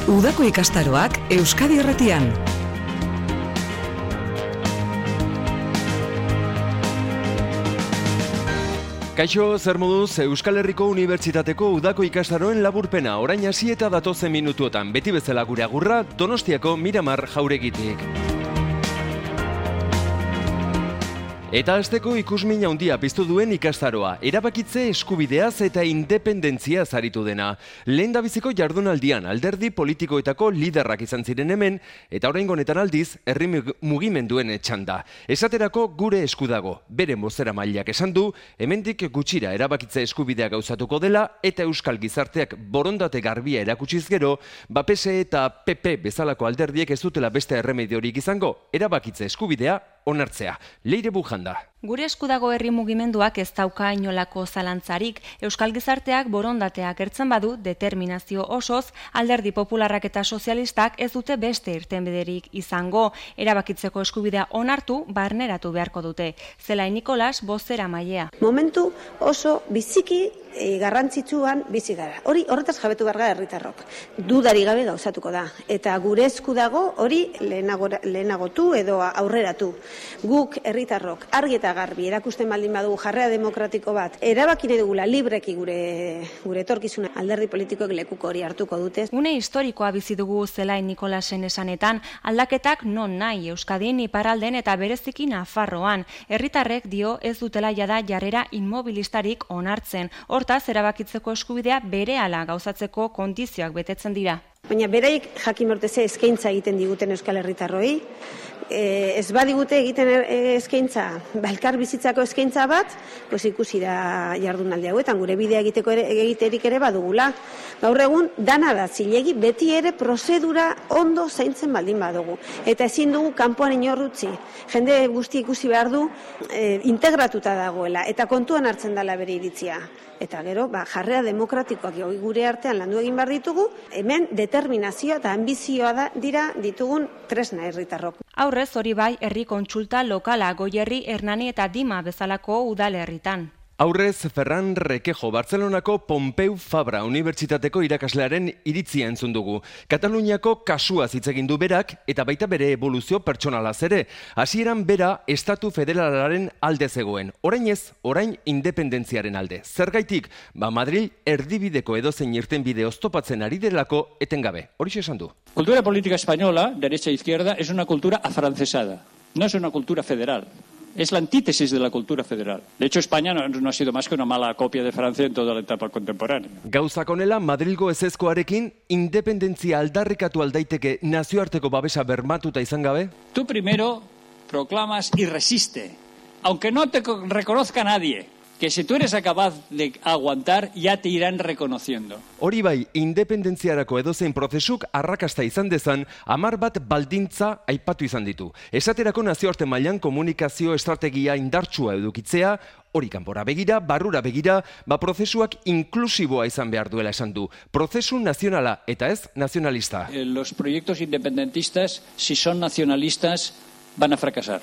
Udako ikastaroak Euskadi Irratian. Kaixo, zer moduz, Euskal Herriko Unibertsitateko udako ikastaroen laburpena, orain hasi eta datozen minutuotan, beti bezala gure agurra, Donostiako Miramar Jauregitik. Eta hasteko ikusmin handia piztu duen ikastaroa, erabakitze eskubideaz eta independentziaz aritu dena. Lehendabiziko jardunaldian alderdi politikoetako liderrak izan ziren hemen, eta oraingo honetan aldiz, herri mugimenduen txanda. Esaterako gure esku dago, beren bozeramaileak esan du, hemendik gutxira erabakitze eskubidea gauzatuko dela, eta Euskal Gizarteak borondate garbia erakutsiz gero, PSE eta PP bezalako alderdiek ez dutela beste erremediorik izango, erabakitze eskubidea onartzea. Leire Bujanda. Gure eskudago herri mugimenduak ez dauka inolako zalantzarik. Euskal Gizarteak borondatea agertzen badu, determinazio osoz, alderdi popularrak eta sozialistak ez dute beste irtenbiderik izango. Erabakitzeko eskubidea onartu, barneratu beharko dute. Zelai Nikolas, bozeramailea. Momentu oso biziki garrantzitsuan bizi gara. Horretaz jabetu behar gara herritarrok. Dudari gabe gauzatuko da. Eta gure esku dago hori lehenagotu edo aurreratu. Guk herritarrok argi eta garbi erakusten baldin badugu jarrera demokratiko bat, erabaki nahi dugula libreki gure etorkizuna, alderdi politikoek lekuko hori hartuko dute. Une historikoa bizi dugu Zelai Nikolasen esanetan, aldaketak non nahi Euskadin, iparralden eta bereziki Nafarroan. Herritarrek dio ez dutela jada jarrera inmobilistarik onartzen. Hortaz, erabakitzeko eskubidea berehala gauzatzeko kondizioak betetzen dira. Baina beraik jakin morteze eskaintza egiten diguten Euskal Herritarroi, ez badigute egiten eskaintza, elkar bizitzako eskaintza bat, pues ikusi da jardunaldi hauetan, gure bidea egiterik ere badugula. Gaur egun, dana da zilegi, beti ere prozedura ondo zaintzen baldin badugu. Eta ezin dugu kanpoan inorrutzi. Jende guzti ikusi behar du integratuta dagoela, eta kontuan hartzen dela bere iritzia. Eta gero, jarrera demokratikoak gure artean landu egin behar ditugu, hemen determinazioa eta ambizioa dira ditugun tresna herritarrok. Aurrez hori bai, herri kontsulta lokala, Goierri, Hernani eta Dima bezalako udalerritan. Aurrez, Ferran Requejo, Bartzelonako Pompeu Fabra Unibertsitateko irakaslearen iritzia entzun dugu. Kataluniako kasuaz hitz egin du berak eta baita bere eboluzio pertsonalaz ere. Hasieran bera estatu federalaren alde zegoen. Orain ez, orain independentziaren alde. Zergaitik, Madril erdibideko edozein irtenbide oztopatzen ari delako etengabe. Horixe esan du. Cultura política española, derecha e izquierda, es una cultura afrancesada. No es una cultura federal. Es la antítesis de la cultura federal. De hecho, España no ha sido más que una mala copia de Francia en toda la etapa contemporánea. Gauzak honela, Madrilgo ezezkoarekin independentzia aldarrikatu aldaiteke nazioarteko babesa bermatuta izan gabe? Tú primero proclamas y resiste, aunque no te reconozca nadie, que si tú eres capaz de aguantar, ya te irán reconociendo. Hori bai, independentziarako edozein prozesuk arrakasta izan dezan, 10 bat baldintza aipatu izan ditu. Esaterako nazioarte mailan komunikazio estrategia indartsua edukitzea, hori kanpora begira, barrura begira, prozesuak inklusiboa izan behar duela esan du. Prozesu nazionala eta ez nazionalista. Los proyectos independentistas, si son nacionalistas, van a fracasar.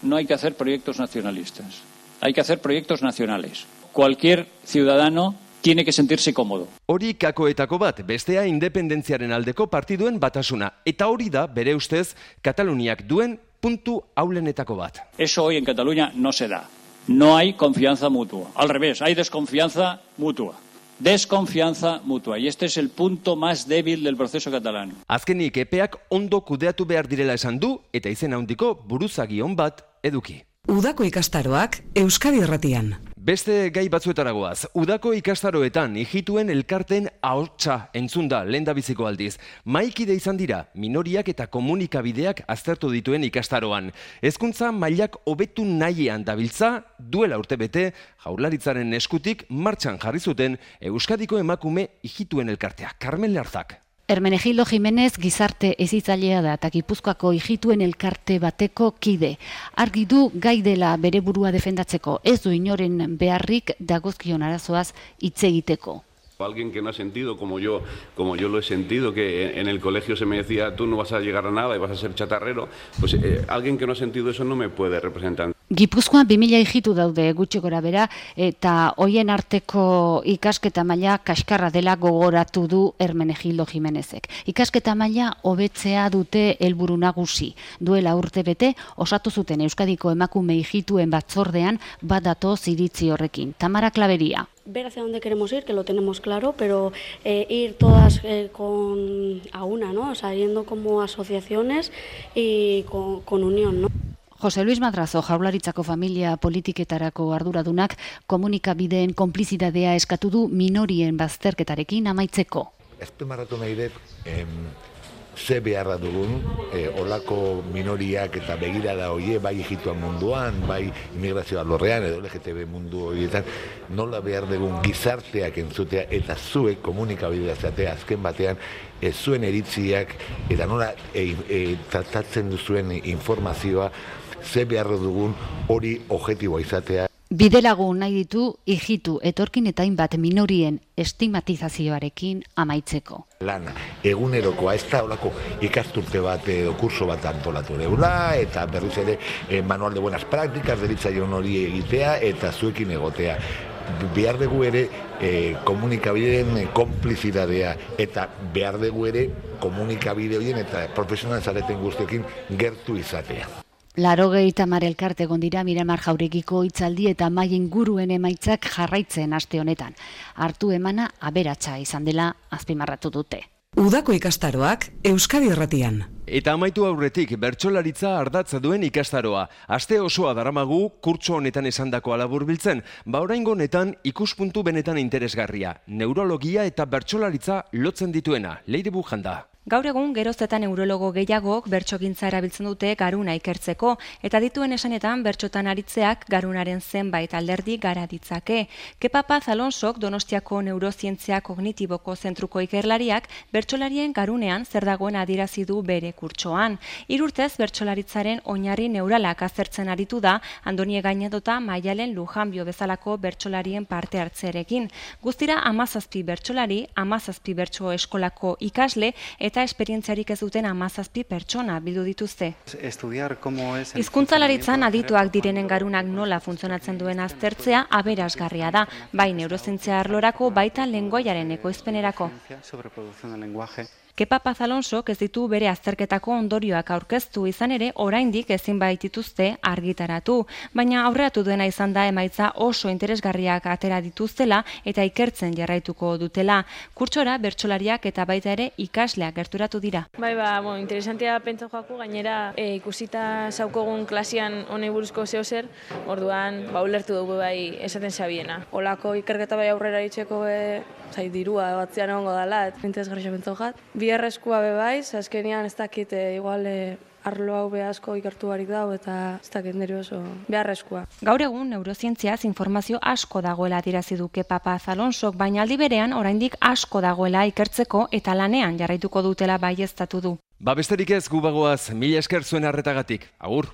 No hay que hacer proyectos nacionalistas. Hay que hacer proyectos nacionales. Cualquier ciudadano tiene que sentirse cómodo. Hori kakoetako bat, bestea independentziaren aldeko partiduen batasuna. Eta hori da, bere ustez, Kataluniak duen puntu aulenetako bat. Eso hoy en Cataluña no se da. No hay confianza mutua. Al revés, hay desconfianza mutua. Desconfianza mutua. Y este es el punto más débil del proceso catalán. Azkenik epeak ondo kudeatu behar direla esan du, eta izen handiko buruzagi on bat eduki. Udako ikastaroak Euskadi Irratian. Beste gai batzuetaragoaz, udako ikastaroetan ijituen elkarten ahotsa entzun da lehendabiziko aldiz. Mahaikide izan dira, minoriak eta komunikabideak aztertu dituen ikastaroan. Hezkuntza mailak hobetu nahian dabiltza, duela urtebete, Jaurlaritzaren eskutik martxan jarri zuten Euskadiko emakume ijituen elkartea. Carmen Larzak. Hermenegildo Jimenez gizarte hezitzailea da eta Gipuzkoako ijituen elkarte bateko kide. Argi du gai dela bere burua defendatzeko, ez du inoren beharrik dagozkion arazoaz hitz egiteko. Alguien que no ha sentido como yo lo he sentido, que en el colegio se me decía tú no vas a llegar a nada y vas a ser chatarrero, pues alguien que no ha sentido eso no me puede representar. Gipuzkoan 2000 hijitu daude gutxi gora bera, eta hoien arteko ikasketa maila kaskarra dela gogoratu du Hermenegildo Jimenezek. Ikasketa maila hobetzea dute helburu nagusi. Duela urtebete osatu zuten Euskadiko emakume hijituen batzordean bat datoz iritzi horrekin. Tamara Klaveria. Ver hacia dónde queremos ir, que lo tenemos claro, pero ir todas a una, ¿no? O sea, yendo como asociaciones y con unión, ¿no? Jose Luis Madrazo, Jaurlaritzako familia politiketarako arduradunak komunikabideen konplizitatea eskatu du minorien bazterketarekin amaitzeko. Azpimarratu nahi dut, ze beharra dugun, olako minoriak eta begirada hoie, bai hijituan munduan, bai immigrazio alorrean, edo LGTB mundu horietan, nola behar dugun gizarteak entzutea eta zuek komunikabidea zatea azken batean, zuen eritziak eta nola tratatzen duzuen informazioa, ze beharra dugun hori objektiboa izatea. Bidelagun nahi ditu hijitu etorkin eta hainbat minorien estigmatizazioarekin amaitzeko. Lana, egunerokoa ez da olako ikasturte bat edo kurso bat antolatu deula, eta berriz ere manual de buenas prácticas deritzaion hori egitea eta zuekin egotea. Behar dugu ere komunikabideen konplizitatea eta behar dugu ere komunikabide horien eta profesional zareten guztiekin gertu izatea. 80 elkarte egon dira Miramar Jauregiko hitzaldi eta mahai inguruen emaitzak jarraitzen aste honetan. Hartu emana aberatsa izan dela azpimarratu dute. Udako ikastaroak Euskadi Irratian. Eta amaitu aurretik bertsolaritza ardatza duen ikastaroa. Aste osoa daramagu kurtso honetan esandakoa laburbiltzen, oraingo honetan ikuspuntu benetan interesgarria. Neurologia eta bertsolaritza lotzen dituena. Leire Bujanda. Gaur egun geroztetan neurologo gehiagok bertsogintza erabiltzen dute garuna ikertzeko, eta dituen esanetan bertsotan aritzeak garunaren zenbait alderdi gara ditzake. Kepa Paz Alonsok Donostiako Neurozientzia Kognitiboko Zentruko ikerlariak bertsolarien garunean zer dagoen adierazi du bere kurtsoan. 3 urtez bertsolaritzaren oinarri neuralak aztertzen aritu da Andonie Gainedota Maialen Lujanbio bezalako bertsolarien parte hartzearekin. Guztira 17 bertsolari, 17 bertso eskolako ikasle eta esperientziarik ez duten 17 pertsona bildu dituzte. Hizkuntzalaritzan adituak direnen garunak nola funtzionatzen duen aztertzea aberasgarria da, bai neurozientzia arlorako baita lengoaiaren ekoizpenerako. Kepa Paz Alonsok ez ditu bere azterketako ondorioak aurkeztu izan ere oraindik ezin baitituzte argitaratu, baina aurreratu duena izan da emaitza oso interesgarriak atera dituztela eta ikertzen jarraituko dutela. Kurtsora bertsolariak eta baita ere ikasleak gerturatu dira. Bai, interesantia pentsa joako, gainera ikusita zaukogun klasian honei buruzko zeo zer, orduan ulertu dugu bai esaten zabiena. Olako ikerketa bai aurrera itzeko dirua batzean egongo dela, interesgarria pentsa jat. Biharrezkoa bebaiz, azkenean ez dakit igual arlo hau asko ikertu barik dago eta ez dakit nire oso beharrezkoa. Gaur egun neurozientziaz informazio asko dagoela adierazi du Kepa Paz Alonsok, baina aldi berean oraindik asko dagoela ikertzeko eta lanean jarraituko dutela baieztatu du. Besterik ez gu bagoaz, mila esker zuen arretagatik. Agur!